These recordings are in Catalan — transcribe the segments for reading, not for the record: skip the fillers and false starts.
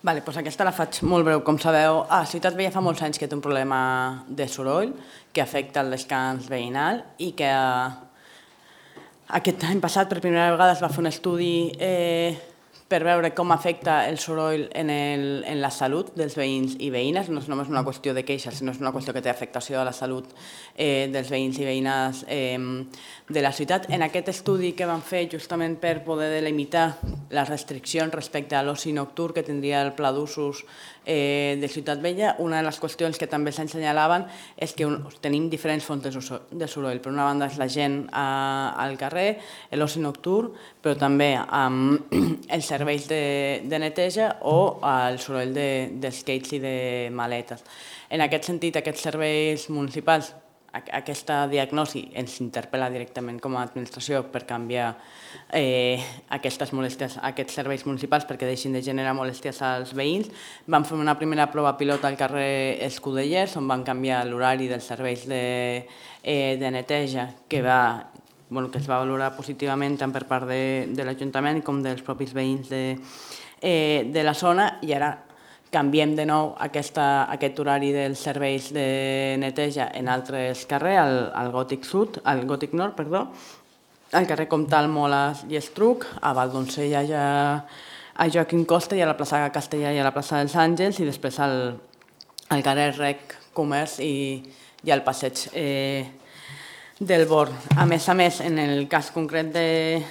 Vale, doncs aquesta la faig molt breu. Com sabeu, a Ciutat Vella fa molts anys que té un problema de soroll que afecta el descans veïnal i que aquest any passat per primera vegada es va fer un estudi per veure com afecta el soroll en la salut dels veïns i veïnes. No és només una qüestió de queixes, sinó és una qüestió que té afectació a la salut dels veïns i veïnes de la ciutat. En aquest estudi que van fer justament per poder delimitar les restriccions respecte a l'oci nocturn que tindria el pla d'usos de Ciutat Vella, una de les qüestions que també s'assenyalaven és que tenim diferents fonts de soroll. Per una banda és la gent al carrer, l'oci nocturn, però també els serveis de neteja o el soroll de skates i de maletes. En aquest sentit, aquests serveis municipals, aquesta diagnosi ens interpel·la directament com a administració per canviar aquestes molèsties, aquests serveis municipals perquè deixin de generar molèsties als veïns. Vam fer una primera prova pilot al carrer Escudellers on van canviar l'horari dels serveis de neteja que es va valorar positivament tant per part de l'Ajuntament com dels propis veïns de la zona, i ara canviem de nou aquest horari dels serveis de neteja en altres carrers, al Gòtic Nord, al carrer Comtal, Moles i Estruc, a Valdoncell, a Joaquim Costa, i a la plaça Castellà i a la plaça dels Àngels, i després al carrer Rec, Comerç i al passeig del Born. A més, en el cas concret de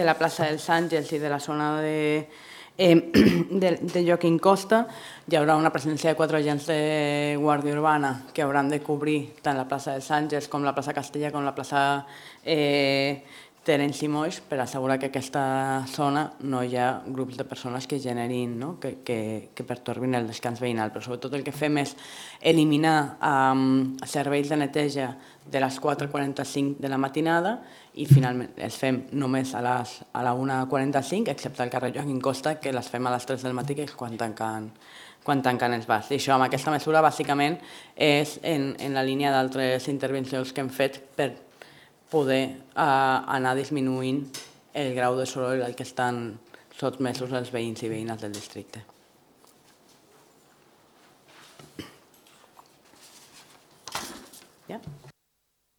la plaça dels Àngels i de la zona de Joaquim Costa, hi haurà una presència de 4 agents de Guàrdia Urbana que hauran de cobrir tant la plaça dels Àngels com la plaça Castellà com la plaça Terenci Moix per assegurar que a aquesta zona no hi ha grups de persones que generin, que pertorbin el descans veïnal. Però sobretot el que fem és eliminar serveis de neteja de les 4:45 de la matinada i finalment els fem només a la 1:45, excepte al carrer Joaquim Costa, que les fem a les 3 del matí, que és quan tanquen els bars. I això, amb aquesta mesura, bàsicament, és en la línia d'altres intervencions que hem fet per poder anar disminuint el grau de soroll al que estan sotmesos els veïns i veïnes del districte.